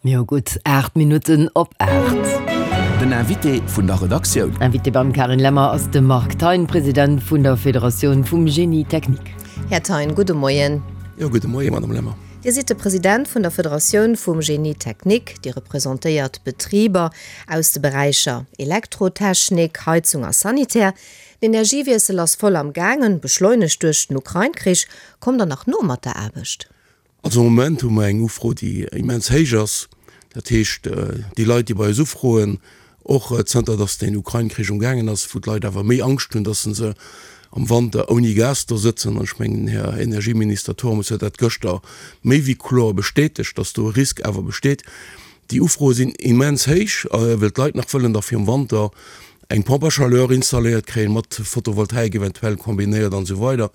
Mir hu gutt 8 Minutten op 8. Den Invité vun der Redaktioun. Invité beim Carine Lemmer ass de Marc Thein, President vun der Federatioun vum Génie Technique. Här Thein, gudde Moien. Jo, gudde Moien, Madame Lemmer. Dir sidd de President vun der Federatioun vum Génie Technique. Dir representéiert Betriber aus de Beräicher Elektrotechnik, Heizung a Sanitär. Den Energiewiessel ass voll am gaangen, beschleunegt duerch den Ukrain-Krich. Kommt der nach no mat der Aarbecht? Also am Moment hu mer eng Ufro, déi immens héich ass. Dat heescht, déi Leit, déi bei eis ufroen, och zënter datt deen Ukrain-Krich um gaangen ass, wou d'Leit awer méi Angscht hunn, datt se se am Wanter ouni Gas do sëtzen, an ech mengen, den Här Energieminister Turmes huet dat gëschter méi wéi kloer bestätegt, datt do e Risk awer besteet. Déi Ufroe sinn immens héich, well d'Leit nach wëllen da virum Wanter eng Pompe à chaleur installéiert kréien, mat Photovoltaik eventuell kombinéiert an esou weider.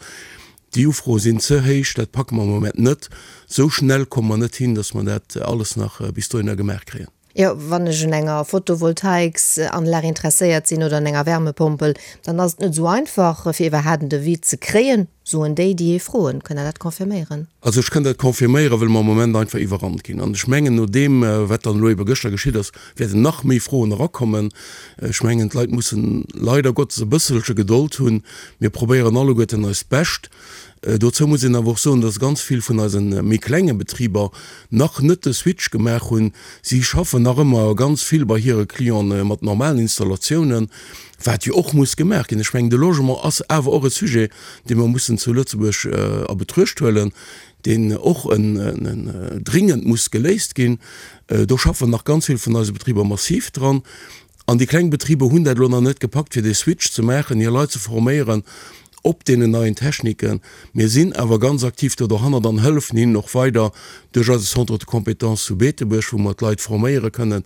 Déi Ufroe sinn ze héich, dat packe mer am Moment net. Esou schnell komme mer net hin, datt mer dat alles nach bis dohinner gemaach kréien. Jo, wann ech un enger Photovoltaiksanlag interesséiert sinn oder un enger Wärmepompel, dann ass et net esou einfach, fir iwwerhaapt en Devis ze kréien, soen déi, déi ee froen. Kënnt Der dat confirméieren? Also ech kënn dat confirméieren, well mer am Moment einfach iwwerrannt ginn. An ech mengen, no deem, wat dann elo ebe gëschter geschitt ass, wäerten nach méi Froen erakommen. Ech mengen, d'Leit mussen leider Gottes e bësselche Gedold hunn. Mir probéieren alleguerten eist Bescht. Dozou muss een awer och soen, dass ganz vill vun eise méi klenge Betriber nach net de Switch gemaach hunn. Si schaffen nach ëmmer ganz vill bei hire Clienten mat normalen Installatiounen, wat jo och muss gemaach ginn. Ech mengen, de Logement ass awer och e Sujet, dee mer mussen zu Lëtzebuerg a Betruecht huelen, deen och dringend muss geléist ginn. Do schaffen nach ganz vill vun eise Betriber massiv dran. An déi kleng Betriber hunn dat elo nach net gepackt, fir dee Switch ze maachen, hir Leit ze forméieren op deenen neien Techniken. Mir sinn awer ganz aktiv do dohannert an hëllefen hinnen och weider duerch eise Centre de compétences zu Beetebuerg, wou mer d'Leit forméiere kënnen.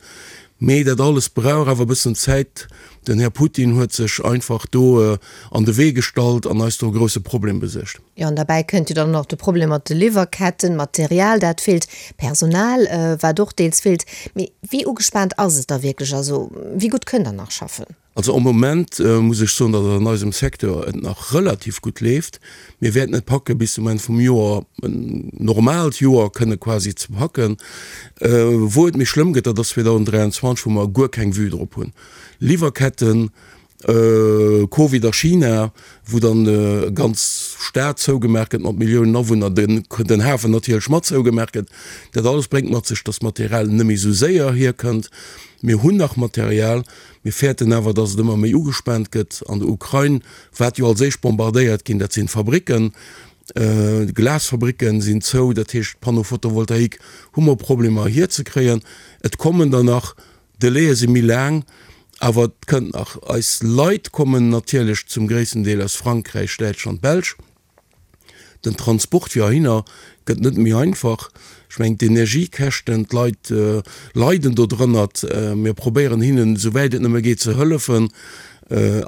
Mee dat alles brauch awer e bëssen Zäit. Den Här Putin huet sech einfach do an de Wee gestallt an eis do e grousse Problem besuergt. Jo, an derbäi kënnt jo dann och nach de Problem mat de Liwwerketten, Material, dat feelt, Personal, wat och deels feelt. Mee wéi ugespaant ass et da wierklech? Also wéi gutt kënnt Der nach schaffen? Also am Moment muss ech soen, datt et an eisem Secteur et nach relativ gutt leeft. Mir wäerten et packe bis zum Enn vum Joer, en normaalt Joer kënne quasi ze packen. Wou et méi schlëmm gëtt, dat ass 2023, wou mer guer keng Vue drop hunn. Liwwerketten, Covid a China, wou dann e ganz Stad zougemaach gëtt mat Milliounen Awunner, den Hafen natierlech mat zougemaach gëtt. Dat alles bréngt mat sech, datt Material net méi esou séier hierkënnt. Mir hunn nach Material, mir fäerten awer, datt et ëmmer méi ugespaant gëtt. An der Ukrain, wat jo als éischt bombardéiert ginn, dat sinn d'Fabricken. D'Glasfabricken sinn zou, dat heescht Panneau photovoltaïque hu mer Problemer hierzekréien. Et kommen der nach. D'Delaie si méi laang, awer et kënnt nach. Eis Leit kommen natierlech zum gréissten Deel aus Frankräich, Däitschland, Belsch. Den Transport fir heihinner gëtt net méi einfach. Ech mengen d'Energiekäschten, d'Leit leiden do drënnert. Mir probéieren hinnen esou wäit et nëmme geet ze hëllefen.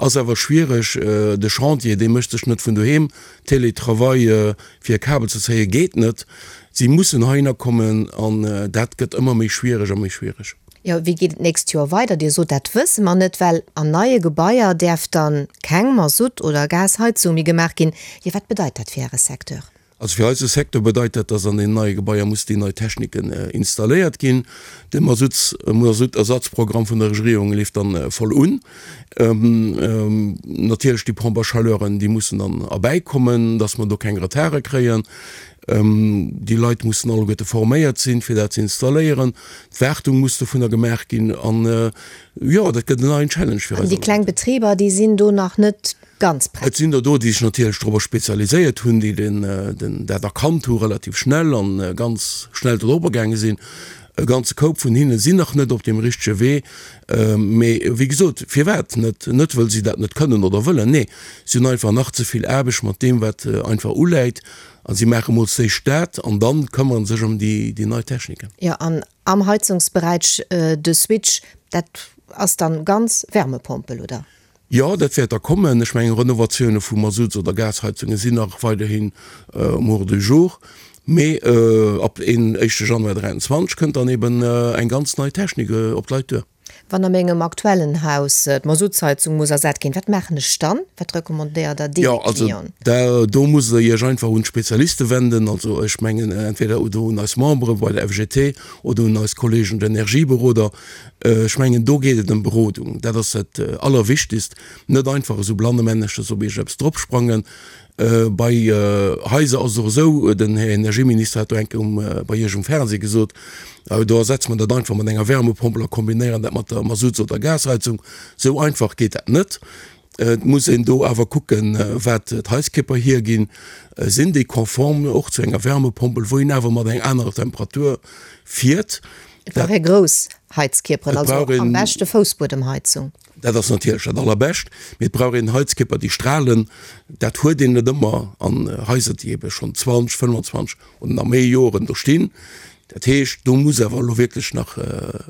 Ass awer schwiereg. De Chantier, dee mécht sech net vun doheem. Télétravail fir e Kabel ze zéie geet net. Si mussen heihinner kommen an dat gëtt ëmmer méi schwiereg a méi schwiereg. Jo, wéi geet et d'nächst Joer weider? Dir sot, dat wësse mer net, well an neie Gebaier däerf dann keng Masutt oder Gasheizung méi gemaach ginn. Jo, wat bedeit dat fir Äre Secteur? Also fir eise Secteur bedeit dat, dass an den neie Gebaier muss déi nei Techniken installéiert ginn. De Masutts, Masuttersatzprogramm vun der Regierung leeft dann voll un. Natierlech déi Pompes à chaleuren, déi mussen dann erbäikommen, dass mer do keng Retarde kréien. Déi Leit mussen alleguerte forméiert sinn, fir dat ze installéieren. D'Wartung muss dovunner gemaach ginn. An jo, dat gëtt en neien Challenge fir eis. An déi kleng Betriber, déi sinn do nach net ganz prett? Et sinn der do, déi sech natierlech dorobber spezialiséiert hunn, déi dat erkannt hu relativ schnell a ganz schnell dorobber gaange sinn. E ganze Koup vun hinne sinn nach net op deem richtege Wee. Mee wéi gesot, firwat net? Net wëll si dat net kënnen oder wëllen, nee, si hunn einfach nach ze vill Aarbecht mat deem, wat einfach uläit. A si maache mol d'éischt dat an dann këmmere sech ëm déi nei Techniken. Jo, an am Heizungsberäich de Switch, dat ass dann ganz Wärmepompel, oder? Jo, dat wäert da kommen. Ech mengen, Renovatioune vu Masutts oder Gasheizunge sinn nach weiderhin um Ordre du jour. Mee ab een éischte Januar 23 kënnt dann eben eng ganz nei Technik op d'Leit duer. Wann a mengem aktuellen Haus d'Masuttsheizung muss ersat ginn, wat maachen ech dann? Wat recommandéiert Der deene Jo, also Clienten? da do musst Der Iech einfach un d'Spezialiste wenden. Also ech mengen entweder oder un eis Membere bei der FGT oder un eis Kollegen d'Energieberoder. Ech mengen do geet et ëm Berodung. Dat ass dat Allerwichtigst. Net einfach esou blannemänneches op iergendeppes dropsprangen. Bei Haiser ass et och esou, den Här Energieminister hat do eng Kéier um, bei Iech um Fernseh gesot, do ersetze mer dat einfach mat enger Wärmepompel a kombinéieren dat mat der Masutts oder Gasheizung. Esou einfach geet dat net. Et muss een do awer kucken, wat d'Haiskierper hierginn. Sinn déi konform och zu enger Wärmepompel, wou een awer mat enger anerer Temperatur fiert? Et brauch ee grouss Heizkierperen, also am beschte Foussbuedemheizung. Dat ass natierlech dat Allerbescht, mee et brauch een Heizkierper, déi strahlen. Dat huet een net ëmmer an Haiser, déi ebe schonn 20, 25 oder nach méi Joren do stinn. Dat heescht, do muss awer elo wierklech nach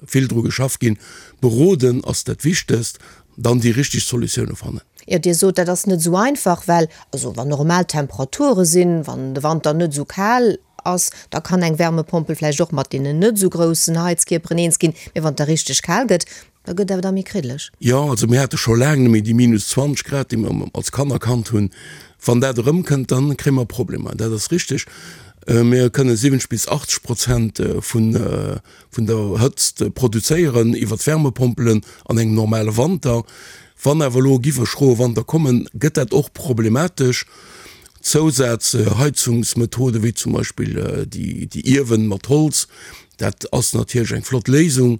vill dru geschafft ginn. Beroden ass dat Wichtegst, dann déi richteg Solutioune fannen. Jo, Dir sot, dat ass net esou einfach, well also wann normal Temperature sinn, wann de Wanter net esou kal ass, da kann eng Wärmepompel vläicht och mat deenen net esou groussen Heizkierperen eens ginn, mee wann et da richteg kal gëtt, Da gëtt awer da méi kriddeleg. Jo, also mir hate scho laang net méi déi minus 20 Grad, déi mer als Kanner kannt hunn. Wann dat erëmkënnt, da kréie mer Problemer, dat ass richteg. Mir kënne 70 bis 80 Prozent vun vun der Hëtzt produzéieren iwwer d'Wärmepompelen an engem normale Wanter. Wann awer elo giff e schroe Wanter kommen, gëtt dat och problematesch. Zousazheizungsmethode wéi zum Beispill déi Iewen mat Holz, dat ass natierlech eng flott Léisung.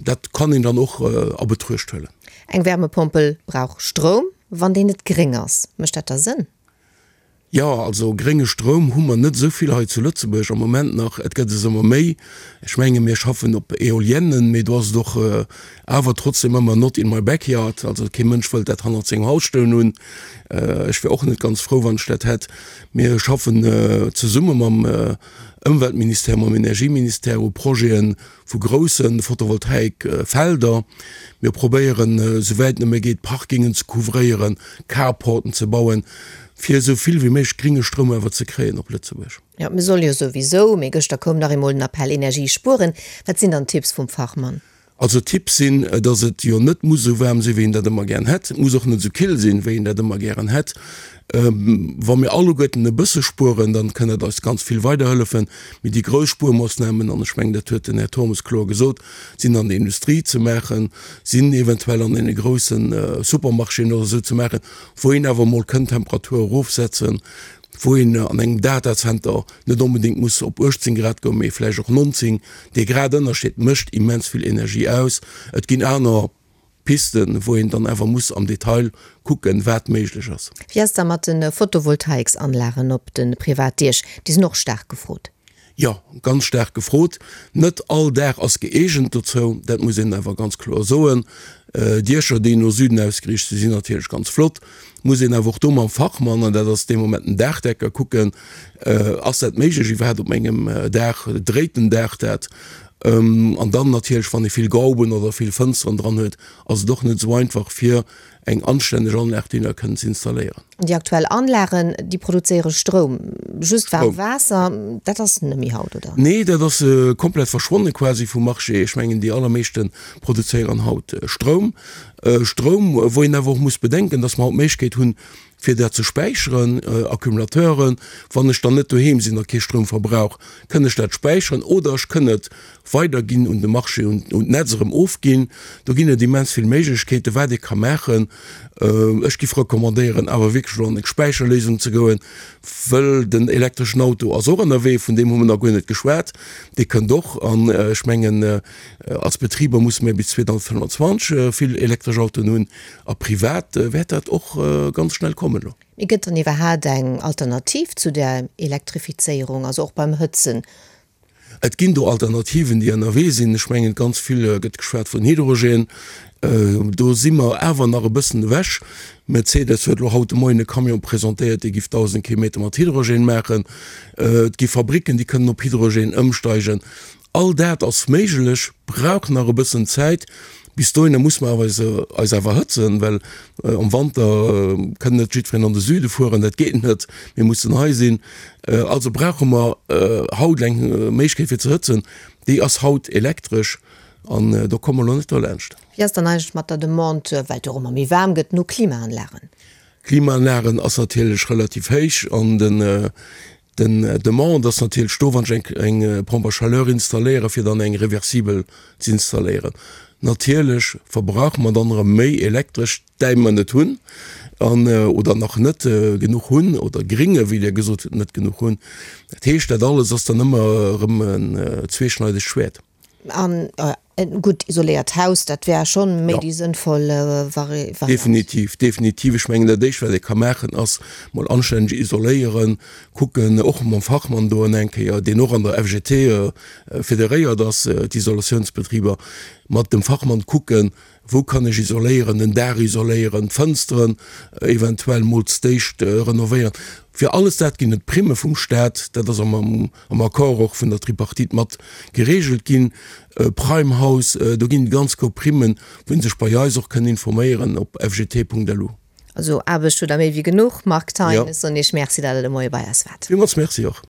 Dat kann een dann och a Betruecht huelen. Eng Wärmepompel brauch Stroum. Wann deen net gréng ass, mécht dat da Sënn? Jo, also grénge Stroum hu mer net esou vill hei zu Lëtzebuerg am Moment nach. Et gëtt es ëmmer méi. Ech menge mir schaffen op Eoliennen, mee do ass et och awer trotzdem ëmmer not in my backyard. Also kee Mënsch wëllt dat hannert sengem Haus stoen hunn. Ech wär och net ganz frou, wann ech dat hätt. Mir schaffen zesumme mam Ëmweltministère, mam Energieministère u Projeten, vu grousse Photovoltaikfelder. Mir probéieren, esouwäit nëmme geet, Parkingen ze couvréieren, Carporten ze bauen, fir esou vill wéi méiglech gringe Stroum awer ze kréien op Lëtzebuerg. Jo, mir solle jo souwisou, mee gëschter koum nach eemol den Appell, Energie spueren. Wat sinn dann d'Tipps vum Fachmann? Also Tipps sinn, dass et jo net muss esou waarm sinn, wéi een dat ëmmer gären hätt. Et muss och net esou kill sinn, wéi een dat ëmmer gären hätt. Wa mir alleguerten e bësse spueren, dann kënn dat eis ganz vill weiderhëllefen. Mee déi grouss Spuermoossnamen, an ech mengen, dat huet den Här Turmes kloer gesot, sinn an der Industrie ze maachen, sinn eventuell an deene grousse Supermarchéen oder esou ze maachen, wou een awer emol kënn d'Temperatur erofsetzen, wou een an engem Datacenter net onbedéngt muss op 18 Grad goen, mee vläicht och 19. Dee Gradënnerscheed mécht immens vill Energie aus. Et ginn aner Pisten, wou een dann awer muss am Detail kucken, wat méiglech ass. Wéi ass da mat de Photovoltaiksanlagen op de Privatdiech? Déi sinn och staark gefrot. Jo, ganz staark gefrot. Net all Daach ass gëeegent dozou, dat muss een awer ganz kloer soen. Diecher, déi no Süden ausgeriicht sinn, sinn natierlech ganz flott. Muss een awer och do mam Fachmann, an dat ass dee Moment den Daachdecker, kucken, Ass dat méiglech iwwerhaapt op mengem Daach? Dréit den Daach dat? An dann natierlech, wann ee vill Gauben oder vill Fënsteren dran huet, ass et och net esou einfach, fir eng anstänneg Anlag déi da kënnen ze installéieren. Déi aktuell Anlagen, déi produzéiere Stroum, just waarmt Waasser, dat ass net méi haut, oder? Nee, dat ass komplett verschwonne quasi vum Marché. Ech mengen, déi allermeeschte produzéieren haut Stroum. Stroum, wou een awer och muss bedenken, dass mer haut d'Méiglechkeet hunn, fir dat ze späicheren, Accumulateuren. Wann ech dann net doheem sinn a kee Stroum verbrauch, kënn ech dat späicheren oder ech kënn et weiderginn un de Marché, un d'Netz erëm ofginn. Do ginn et immens vill Méiglechkeeten, wat ee ka maachen. Ech giff recommandéieren, awer wierklech elo an eng Späicherléisung ze goen, wëll den elektreschen Auto ass och ënnerwee, vun deem hu mer nach guer net geschwat, dee kënnt och. An ech mengen, als Betriber musse mir bis 2025 vill elektresch Autoen hunn a privat wäert dat och ganz schnell kommen elo. Mee gëtt dann iwwerhaat eng Alternativ zu der Elektrifizéierung, also och beim Hëtzen? Et ginn do Alternativen, déi ënnerwee sinn. Ech mengen, ganz vill gëtt geschwat vun Hydrogen. Do si mer awer nach e bëssen ewech. Mercedes huet elo haut de Moien e Camion presentéiert, dee giff 1.000 Kilometer mat Hydrogen maachen. Et gi Fabricken, déi kënnen op Hydrogen ëmsteigen. All dat ass méiglech, brauch nach e bëssen Zäit. Bis dohinner muss mer awer eis awer hëtzen, well am Wanter kënn net jiddwereen an de Süde fueren, dat geet net, mir mussen hei sinn. Also brauche mer haut eng Méiglechkeet fir ze hëtzen, déi ass haut elektresch. An do komme mer elo net dolaanscht. Wéi ass dann eigentlech mat der Demande, well et jo och ëmmer méi waarm gëtt, no Klimaanlagen? Klimaanlagen ass natierlech relativ héich an den den Demande ass natierlech do, wann ech eng eng Pompe à chaleur installéieren, fir dann eng reversibel ze installéieren. Natierlech verbrauche mer dann erëm méi Elektresch, däi mer net hunn an oder nach net genuch hunn oder Gringe, wéi Dir gesot hutt, net genuch hunn. Dat heescht, dat alles ass dann ëmmer erëm en zweeschneidegt Schwäert. An e gutt isoléiert Haus, dat wär schonn méi déi sënnvoll Variant. Definitiv, definitiv. Ech mengen, dat Éischt, wat ee ka maachen, ass mol anstänneg isoléieren, kucken, och mam Fachmann do eng Kéier, deen och an der FGT federéiert ass, d'Isolatiounsbetriber, mat dem Fachmann kucken, Wou kann ech isoléieren, den Daach isoléieren, d'Fënsteren eventuell mol z'déischt renovéieren. Fir alles dat ginn et Primme vum Staat, dat ass am am Accord och vun der Tripartite mat geregelt ginn. Prime House, do ginn et ganz grouss Primmen, wou een sech bei eis och kënn informéieren op fgt.lu. Also Aarbecht hutt der méi wéi genuch, Marc Thein. Ech soen Iech Merci, datt Der de Moie bei eis waart. Villmools Merci och.